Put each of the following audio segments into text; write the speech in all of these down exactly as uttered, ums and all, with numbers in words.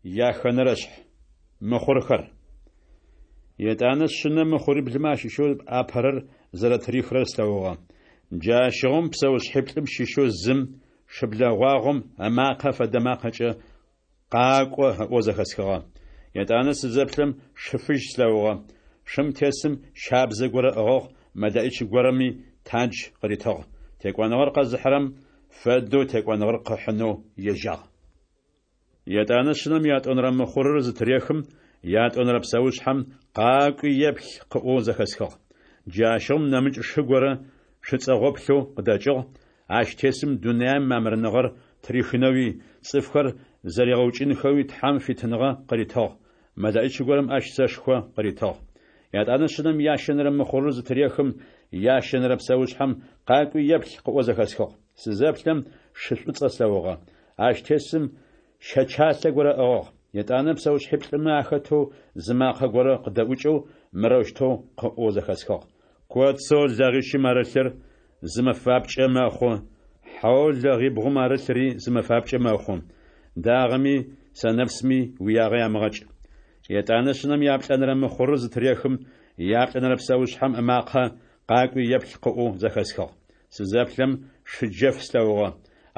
Яхэнэрэшъхь. Мыхъурхэр. Етӏанэ Шъынэм мыхъуриблымэ ащыщэу апэрэр зэрэтырихырэр слъэгъугъэ. Джащыгъум псэушъхьиплӏым щыщэу зым шыблэ гъуагъом ымакъэ фэдэ макъэкӏэ «Къакӏо!» ыӏоу зэхэсхыгъэ. Етӏанэ сызэплъэм, шы фыжь слъэгъугъэ. Шым тесым щабзэ горэ ыӏыгъыгъ, мэлэӏич горэми тандж къыритыгъ. Текӏоныгъэр къэзыхьырэм фэдэу текӏоныгъэр къыхьынэу ежьагъ. Етӏанэ Шъынэм ятӏонэрэ мыхъурыр зытырехым, ятӏонэрэ псэушъхьэм «Къакӏуи еплъ!» къыӏоу зэхэсхыгъ. Джащыгъум нэмыкӏ шы горэ шы цӏэгъоплъэу къыдэкӏыгъ, ащ тесым дунаим мамырныгъэр тырихынэуи, цӏыфхэр зэригъэукӏынхэуи Тхьэм фитыныгъэ къыритыгъ, мэлэӏич горэм ащ сэшхо къыритыгъ. Етӏанэ Шъынэм ящэнэрэ мыхъурыр зытырехым, ящэнэрэ псэушъхьэм «Къакӏуи еплъ!» къыӏоу зэхэсхыгъ. Сызэплъэм, шы шӏуцӏэ слъэгъугъэ. Ащ тесым щэчалъэ горэ ыӏыгъыгъ. Етӏанэ псэушъхьиплӏымэ ахэтэу зы макъэ горэ къыдэӏукӏэу мырэущтэу къыӏоу зэхэсхыгъ: Коцэу лэгъищым арылъыр зы мэфапкӏэ мэхъу, хьэу лэгъибгъум арылъри зы мэфапкӏэ мэхъу. Дагъэми сэнэпсми уиягъэ ямыгъэкӏ. Етӏанэ Шъынэм яплӏэнэрэ мыхъурыр зытырехым, яплӏэнэрэ псэушъхьэм ымакъэ «Къакӏуи еплъ!» къыӏоу зэхэсхыгъ. Сызэплъэм, шы джэф слъэгъугъэ.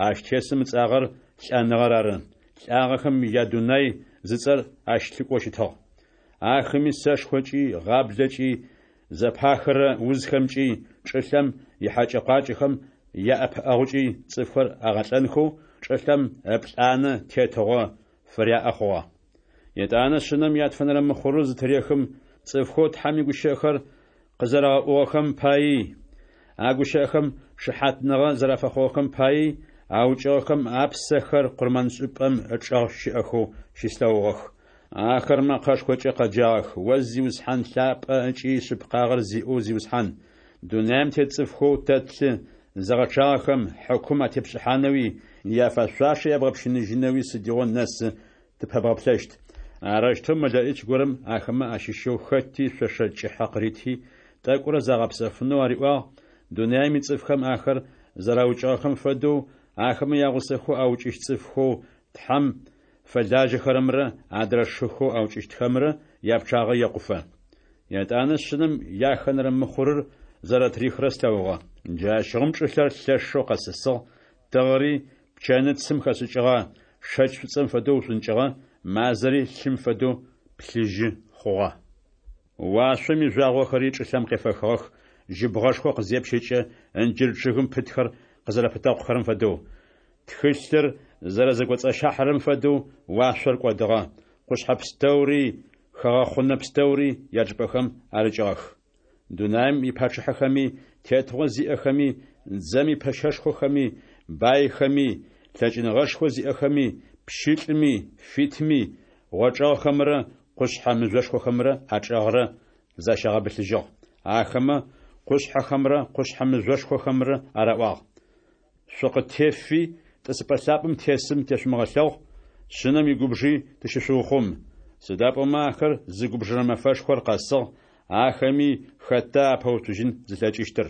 Ащ тесым ыцӏагъэр Лӏэныгъэр ары. Лӏагъэхэм ядунай зыцӏэр ащ лъыкӏоу щытыгъ. Ахэми сэшхокӏи, гъаблэкӏи, зэпахырэ узхэмкӏи, чӏылъэм ихьакӏэ-къуакӏэхэм яӏэпыӏэгъукӏи цӏыфхэр агъэлӏэнхэу чӏылъэм ыплӏанэ тетыгъо фыряӏэ хъугъэ. Етӏанэ Шъынэм ятфэнэрэ мыхъурыр зытырехым, цӏыфхэу Тхьэм игущыӏэхэр къызэрагъэӏугъэхэм паий, а гущыӏэхэм шыхьатныгъэ зэрафэхъугъэхэм паий аукӏыгъэхэм апсэхэр къурмэншӏыпӏэм ычӏэгъ щыӏэхэу щыслъэгъугъэх. Ахэр мэкъэшхокӏэ къэджагъэх: «О Зиусхьан лъапӏэ ыкӏи шъыпкъагъэр зиӏэу Зиусхьан, дунаим тет цӏыфхэу тэ тлъы зыгъэчъагъэхэм хьыкум атепшӏыхьанэуи, яфэшъуашэ ябгъэпщыныжьынэуи сыдигъо нэсы тыпэбгъэплъэщт?» Арэущтэу мэлэӏич горэм ахэмэ ащыщэу хэти шъошэ кӏыхьэ къырити, тӏэкӏурэ загъэпсэфынэу ариӏуагъ, дунаим ицӏыфхэм ахэр зэраукӏыгъэхэм фэдэу, ахэмэ ягъусэхэу аукӏыщт цӏыфхэу Тхьэм фэлажьэхэрэмрэ адрэ шыхэу аукӏыщтхэмрэ япчъагъэ екъуфэ. Етӏанэ Шъынэм яхэнэрэ мыхъурыр зэрэтырихырэр слъэгъугъэ. Джащыгъум чӏылъэр лъэшэу къэсысыгъ, тыгъэри пчэныцым хэшӏыкӏыгъэ шэкӏ шӏуцӏэм фэдэу ушӏункӏыгъэ, мазэри лъым фэдэу плъыжьы хъугъэ. Уашъом ижъуагъохэри чӏылъэм къефэхыгъэх, жьыбгъэшхо къызепщэкӏэ ынджыр чъыгым пытхэр къызэрэпытэкъухэрэм фэдэу. Тхылъыр зэрэзэкӏоцӏащыхьэрэм фэдэу уашъор кӏодыгъэ, къушъхьэ пстэури, хыгъэхъунэ пстэури ячӏыпӏэхэм арыкӏыгъэх. Дунаим ипачъыхьэхэми, тетыгъо зиӏэхэми, дзэм ипэщэшхохэми, байхэми, лъэкӏыныгъэшхо зиӏэхэми, пщылӏми, фитми, гъочӏэгъхэмрэ къушъхьэ мыжъошхохэмрэ ачӏэгърэ защагъэбылъыжьыгъ. Ахэмэ къушъхьэхэмрэ къушъхьэ мыжъошхохэмрэ араӏуагъ: «Шъукъытефи, тӏысыпӏэ лъапӏэм тесым тешъумыгъэлъэгъу, Шъынэм игубжи тыщышъуухъум. Сыда пӏомэ ахэр зыгубжырэ мэфэшхор къэсыгъ, ахэми хэта апэуцужьын зылъэкӏыщтыр?»